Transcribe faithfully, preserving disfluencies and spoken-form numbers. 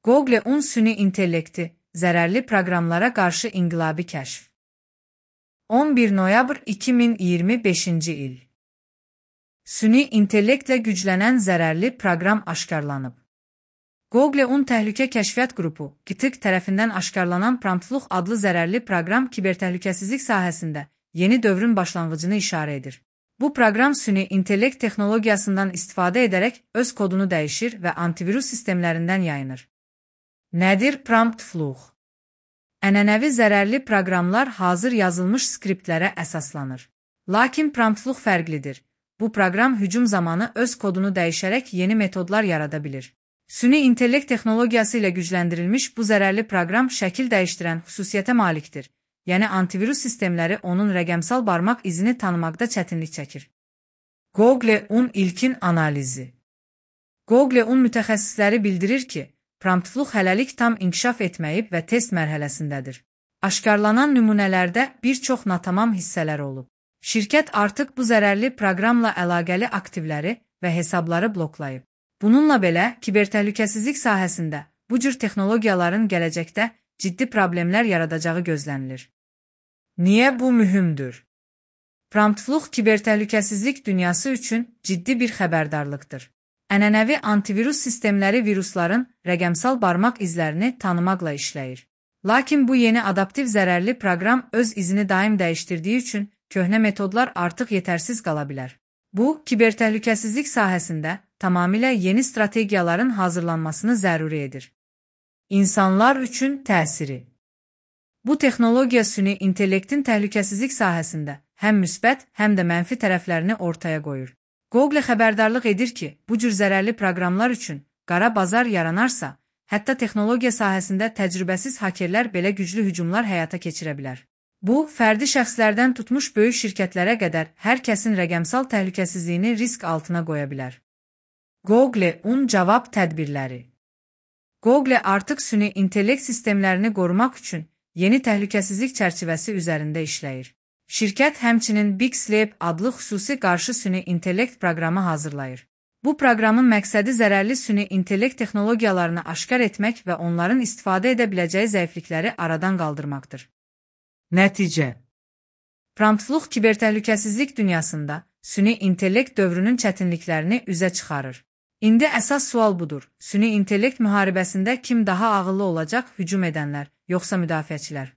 Google-un süni intellekti, zərərli proqramlara qarşı inqilabi kəşf. on bir noyabr iki min iyirmi beşinci il. Süni intellektlə güclənən zərərli proqram aşkarlanıb. Google-un təhlükə kəşfiyyat qrupu, G T K tərəfindən aşkarlanan Promptfluch adlı zərərli proqram kibertəhlükəsizlik sahəsində yeni dövrün başlanğıcını işarə edir. Bu proqram süni intellekt texnologiyasından istifadə edərək öz kodunu dəyişir və antivirus sistemlərindən yayınır. Nədir Promptfluch? Ənənəvi zərərli proqramlar hazır yazılmış skriptlərə əsaslanır. Lakin Promptfluch fərqlidir. Bu proqram hücum zamanı öz kodunu dəyişərək yeni metodlar yarada bilir. Süni intellekt texnologiyası ilə gücləndirilmiş bu zərərli proqram şəkil dəyişdirən xüsusiyyətə malikdir. Yəni antivirus sistemləri onun rəqəmsal barmaq izini tanımaqda çətinlik çəkir. Google-un ilkin analizi. Google-un mütəxəssisləri bildirir ki, Promptfluch hələlik tam inkişaf etməyib və test mərhələsindədir. Aşkarlanan nümunələrdə bir çox natamam hissələr olub. Şirkət artıq bu zərərli proqramla əlaqəli aktivləri və hesabları bloklayıb. Bununla belə, kibertəhlükəsizlik sahəsində bu cür texnologiyaların gələcəkdə ciddi problemlər yaradacağı gözlənilir. Niyə bu mühümdür? Promptfluch kibertəhlükəsizlik dünyası üçün ciddi bir xəbərdarlıqdır. Ənənəvi antivirus sistemləri virusların rəqəmsal barmaq izlərini tanımaqla işləyir. Lakin bu yeni adaptiv zərərli proqram öz izini daim dəyişdirdiyi üçün köhnə metodlar artıq yetərsiz qala bilər. Bu, kibertəhlükəsizlik sahəsində tamamilə yeni strategiyaların hazırlanmasını zəruri edir. İnsanlar üçün təsiri. Bu texnologiya süni intellektin təhlükəsizlik sahəsində həm müsbət, həm də mənfi tərəflərini ortaya qoyur. Google xəbərdarlıq edir ki, bu cür zərərli proqramlar üçün qara bazar yaranarsa, hətta texnologiya sahəsində təcrübəsiz hakerlər belə güclü hücumlar həyata keçirə bilər. Bu, fərdi şəxslərdən tutmuş böyük şirkətlərə qədər hər kəsin rəqəmsal təhlükəsizliyini risk altına qoya bilər. Google-un cavab tədbirləri. Google artıq süni intellekt sistemlərini qorumaq üçün yeni təhlükəsizlik çərçivəsi üzərində işləyir. Şirkət həmçinin Big Sleep adlı xüsusi qarşı süni intellekt proqramı hazırlayır. Bu proqramın məqsədi zərərli süni intellekt texnologiyalarını aşkar etmək və onların istifadə edə biləcəyi zəiflikləri aradan qaldırmaqdır. Nəticə. Promptfluch kibertəhlükəsizlik dünyasında süni intellekt dövrünün çətinliklərini üzə çıxarır. İndi əsas sual budur. Süni intellekt müharibəsində kim daha ağıllı olacaq, hücum edənlər, yoxsa müdafiəçilər?